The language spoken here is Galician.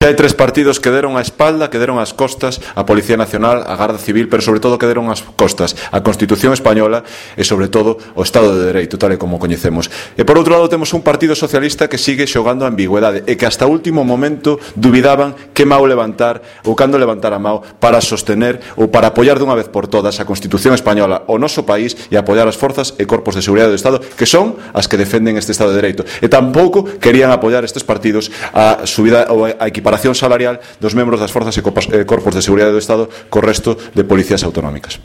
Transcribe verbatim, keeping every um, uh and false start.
Hai tres partidos que deron a espalda, que deron as costas a Policía Nacional, a Garda Civil, pero sobre todo que deron as costas a Constitución Española e sobre todo o Estado de Dereito, tal e como coñecemos. E por outro lado temos un Partido Socialista que sigue xogando a ambigüedade e que hasta o último momento dubidaban que mau levantar ou cando levantar a mau para sostener ou para apoiar dunha vez por todas a Constitución Española, o noso país, e apoiar as forzas e corpos de seguridade do Estado que son as que defenden este Estado de Dereito. E tampouco querían apoiar estes partidos a subida ou a equiparación salarial dos membros das forzas e corpos de seguridade do Estado co resto de policías autonómicas.